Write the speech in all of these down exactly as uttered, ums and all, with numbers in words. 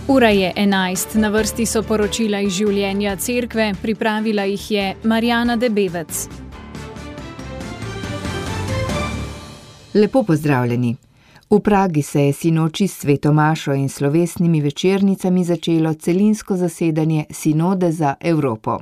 Ura je enajst, na vrsti so poročila iz življenja cerkve, pripravila jih je Marjana Debevec. Lepo pozdravljeni. V Pragi se je sinoči s sveto mašo in slovesnimi večernicami začelo celinsko zasedanje Sinode za Evropo.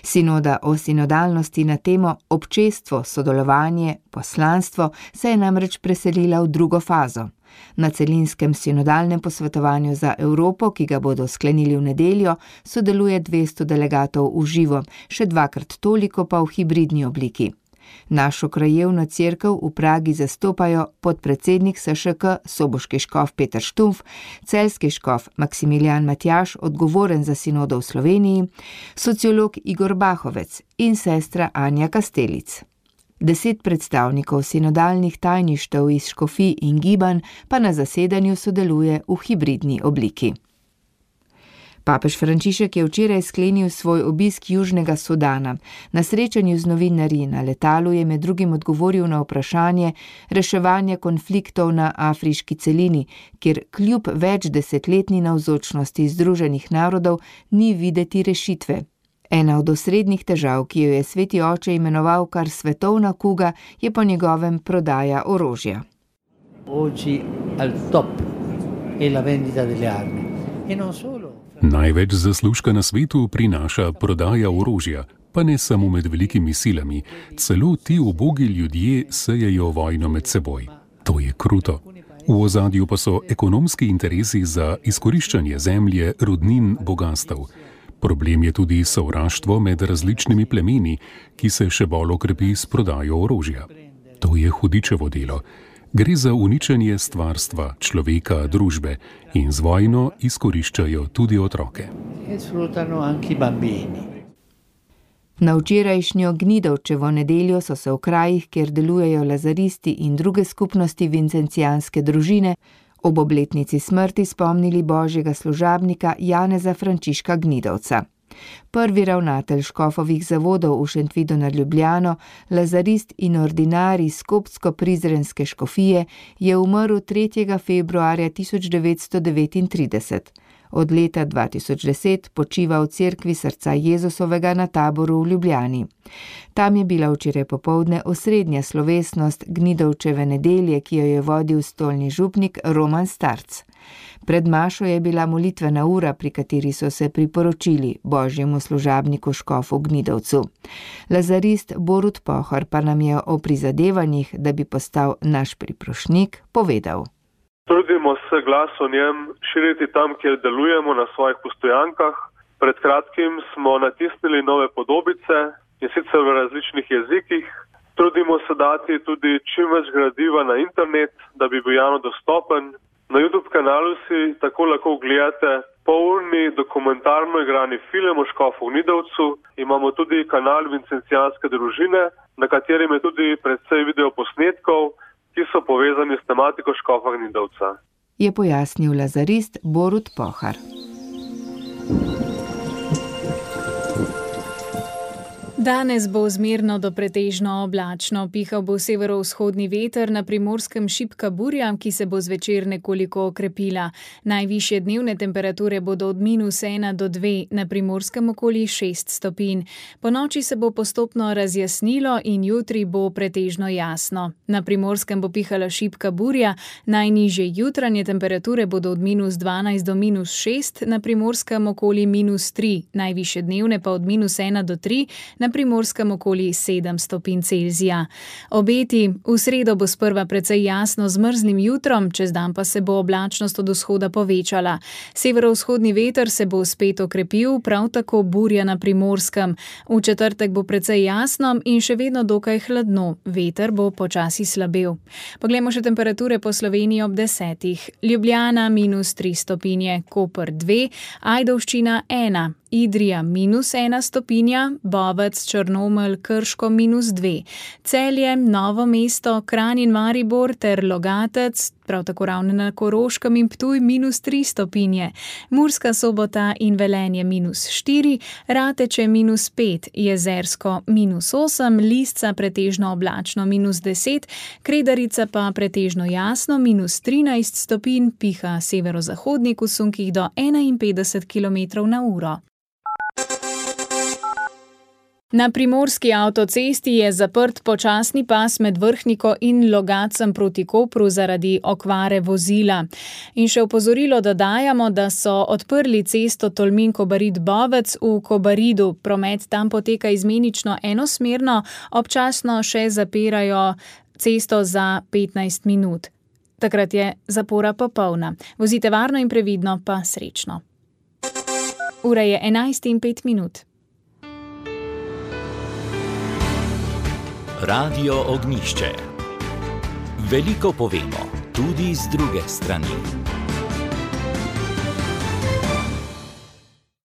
Sinoda o sinodalnosti na temo občestvo, sodelovanje, poslanstvo se je namreč preselila v drugo fazo. Na celinskem sinodalnem posvetovanju za Evropo, ki ga bodo sklenili v nedeljo, sodeluje dvesto delegatov v živo, še dvakrat toliko pa v hibridni obliki. Našo krajevno cerkev v Pragi zastopajo podpredsednik S Š K, soboški škof Peter Štumpf, celjski škof Maksimilijan Matjaž, odgovoren za sinodo v Sloveniji, sociolog Igor Bahovec in sestra Anja Kastelic. Deset predstavnikov sinodalnih tajništev iz škofij in gibanj pa na zasedanju sodeluje v hibridni obliki. Papež Frančišek je včeraj sklenil svoj obisk Južnega Sudana. Na srečanju z novinarji na letalu je med drugim odgovoril na vprašanje reševanja konfliktov na afriški celini, kjer kljub več desetletni navzočnosti Združenih narodov ni videti rešitve. Ena od osrednjih težav, ki jo je sveti oče imenoval kar svetovna kuga, je po njegovem prodaja orožja. Oggi al top è la vendita delle armi. E non solo. Največ zaslužka na svetu prinaša prodaja orožja, pa ne samo med velikimi silami. Celo ti ubogi ljudje sejejo vojno med seboj. To je kruto. V ozadju pa so ekonomski interesi za izkoriščanje zemlje, rudnin, bogastev. Problem je tudi sovraštvo med različnimi plemeni, ki se še bolj okrepi s prodajo orožja. To je hudičevo delo. Gre za uničenje stvarstva, človeka, družbe in z vojno izkoriščajo tudi otroke. Na včerajšnjo Gnidovčevo nedeljo so se v krajih, kjer delujejo lazaristi in druge skupnosti vincencijanske družine, ob obletnici smrti spomnili božjega služabnika Janeza Frančiška Gnidovca. Prvi ravnatelj škofovih zavodov v Šentvidu nad Ljubljano, lazarist in ordinarij skopsko-prizrenske škofije, je umrl tretjega februarja tisoč devetsto devetintrideset. Od leta dva tisoč deset počiva v cerkvi srca Jezusovega na Taboru v Ljubljani. Tam je bila včeraj popoldne osrednja slovesnost Gnidovčeve nedelje, ki jo je vodil stolni župnik Roman Starc. Pred mašo je bila molitvena ura, pri kateri so se priporočili božjemu služabniku škofu Gnidovcu. Lazarist Borut Pohor pa nam je o prizadevanjih, da bi postal naš priprošnjik, povedal. Trudimo se glas o njem širiti tam, kjer delujemo na svojih postojankah. Pred kratkim smo natisnili nove podobice in sicer v različnih jezikih. Trudimo se dati tudi čim več gradiva na internet, da bi bil javno dostopen. Na YouTube kanalu si tako lahko gledate polurni dokumentarno igrani film o škofu Gnidovcu. Imamo tudi kanal Vincencijanske družine, na katerem je tudi precej videoposnetkov, ki so povezani s tematiko škofa Gnidovca. Je pojasnil lazarist Borut Pohar. Danes bo zmerno do pretežno oblačno, pihal bo severovzhodni veter, na Primorskem šibka burja, ki se bo zvečer nekoliko okrepila. Najvišje dnevne temperature bodo od minus ena do dve, na Primorskem okoli šest stopinj. Po noči se bo postopno razjasnilo in jutri bo pretežno jasno. Na Primorskem bo pihala šibka burja, najnižje jutranje temperature bodo od minus dvanajst do minus šest, na Primorskem okoli minus tri, najvišje dnevne pa od minus ena do tri, na Primorskem okoli sedem stopinj Celzija. Obeti: v sredo bo sprva precej jasno z mrzlim jutrom, čez dan pa se bo oblačnost od vzhoda povečala. Severovzhodni veter se bo spet okrepil, prav tako burja na Primorskem. V četrtek bo precej jasno in še vedno dokaj hladno, veter bo počasi slabel. Poglejmo še temperature po Sloveniji ob desetih. Ljubljana minus tri stopinje, Koper dve, Ajdovščina ena, Idrija minus ena stopinja, Bovec Črnomelj, Krško minus dve, Celje, Novo mesto, Kranj in Maribor ter Logatec, prav tako Ravne na Koroškem in Ptuj minus tri stopinje, Murska Sobota in Velenje minus štiri, Rateče minus pet, Jezersko minus osem, Lisca pretežno oblačno minus deset, Kredarica pa pretežno jasno minus trinajst stopinj, piha severozahodnik v sunkih do enainpetdeset kilometrov na uro. Na primorski avtocesti je zaprt počasni pas med Vrhniko in Logatcem proti Kopru zaradi okvare vozila. In še opozorilo dodajamo, da so odprli cesto Tolmin-Kobarid-Bovec v Kobaridu. Promet tam poteka izmenično enosmerno, občasno še zapirajo cesto za petnajst minut. Takrat je zapora popolna. Vozite varno in previdno, pa srečno. Ura je enajst in pet minut. Radio Ognjišče. Veliko povemo, tudi z druge strani.